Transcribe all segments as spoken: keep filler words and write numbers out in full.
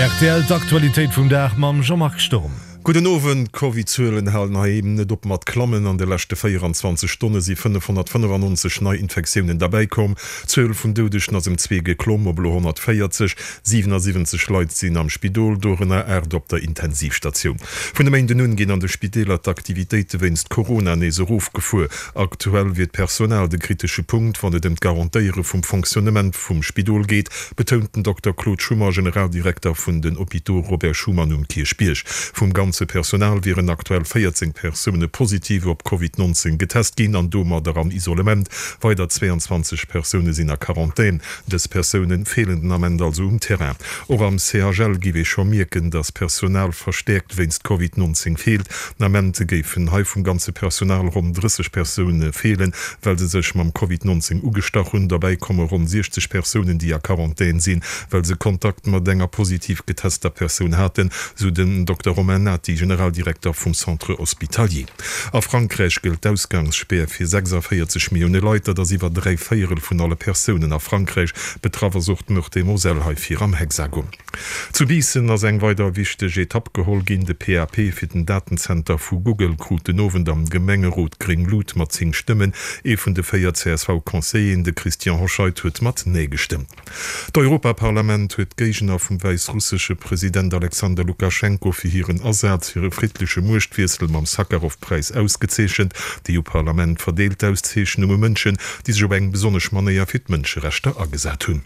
Rtl, D'Aktualitéit vum Dag mam Jean-Marc Sturm. Gudden Owend, D'Covid-Zuelen halen heiheem net op mat klammen. An de leschte véieranzwanzeg Stonne si fënnefhonnertfënnefannonzeg nei Infektiounen derbäikomm. D'Zuel vun Doudegen ass ëm zwee geklomm op elo honnertvéierzeg. Siwenasiwwenzeg Leit sinn am Spidol, dorënner aacht op der Intensivstatioun. Vun e Méinden un ginn an de Spideeler d'Aktivitéite wéinst Corona nees erofgefuer. Aktuell wier d'Personal de kritesche Punkt, wann et ëm d'Garantéiere vum Fonctionnement vum Spidol geet, betount den Dokter Claude Schummer, Generaldirekter vun den Hôpitaux Robert Schuman um Kierchbierg. Vum ganze Personal wieren aktuell véierzéng Persoune positiv op Covid nonzéng getest ginn an domadder am Isolement. Weider zweeanzwanzeg Persoune sinn a Quarantän. Dës Persoune feelen den Ament also um Terrain. Och am C H L géif ee scho mierken, datt Personal verstäerkt wéinst Covid nonzéng feelt. Den Ament géifen hei vum ganze Personal ronn drësseg Persoune feelen, well se sech mam Covid nonzéng ugestach hunn. Derbäi komme ronn siechzeg Persounen, déi a Quarantän sinn, well se Kontakt mat enger positiv getester Persoun haten, sou den Dokter Romain Nati, Generaldirekter vum Centre Hospitalier. A Frankräich gëllt d'Ausgangsspär fir sechsavéierzeg Millioune Leit, dat ass iwwer dräi Véierel vun alle Persounen a Frankräich. Betraff ass och d'Meurthe-et-Moselle, hei vir am Hexagon. Zu Biissen ass eng weider wichteg Etapp geholl ginn. De P A P fir den Datenzenter vu Google krut den Owend am Gemengerot gréng Lut mat zéng Stëmmen. Ee vun de véier C S V-Conseilleren, de Christian Hoscheid, huet mat Nee gestëmmt. D'Europaparlament huet d'Géigner vum wäissrussesche President Alexander Lukaschenko fir hiren Asaz fir e friddleche Muechtwiessel mam Sakharov-Präis ausgezeechent. D'E U-Parlament verdeelt d'Auszeechnung u Mënschen, déi sech op eng besonnesch Manéier fir d'Mënscherechter agesat hunn.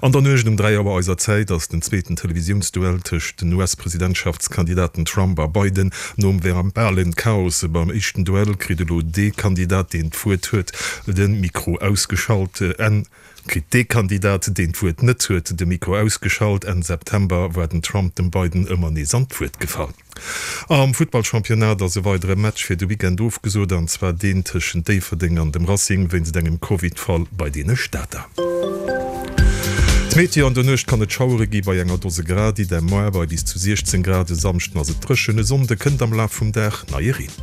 An der Nuecht um dräi Auer eiser Zäit ass den zweeten Televisiounsduell tëscht den U S-Presidentschaftskandidaten Trump a Biden. Nom verbalen Chaos beim éischten Duell kritt elo dee Kandidat, deen d'Wuert huet, de Mikro ausgeschalt. Enn kritt dee Kandidat, deen d'Wuert net huet, de Mikro ausgeschalt. Enn September war den Trump dem Biden ëmmer nees an d'Wuert gefall. Am Futtballchampionnat ass e weidere Match fir de Weekend ofgesot, an zwar deen tëschent Déifferdeng an dem Racing wéinst engem Covid-Fall bei deene Stater. D'Meteo, An der Nuecht kann et Schauere gi bei enger Dose Grad, idem moar bei bis zu siechzéng Grad. E Samschden ass et dréchen, e Sonnde kënnt am Laf vum Dag neie Reen.